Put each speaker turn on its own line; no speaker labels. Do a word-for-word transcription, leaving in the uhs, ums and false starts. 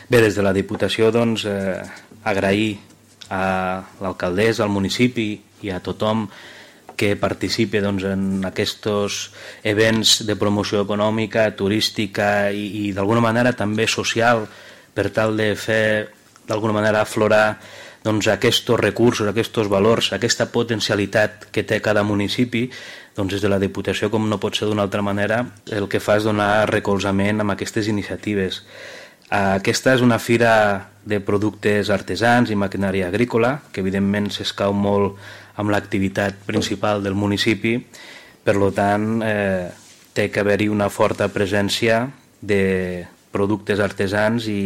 Bé, des de la Diputació, doncs, eh, agrair a l'alcaldessa, al municipi i a tothom que participi doncs, en aquests events de promoció econòmica, turística i, i d'alguna manera també social, per tal de fer d'alguna manera aflorar doncs, aquests recursos, aquests valors, aquesta potencialitat que té cada municipi. Doncs des de la Diputació, com no pot ser d'una altra manera, el que fa és donar recolzament amb aquestes iniciatives. Aquesta és una fira de productes artesans i maquinària agrícola, que evidentment s'escau molt amb l'activitat principal del municipi, per tant eh, té que haver-hi una forta presència de productes artesans i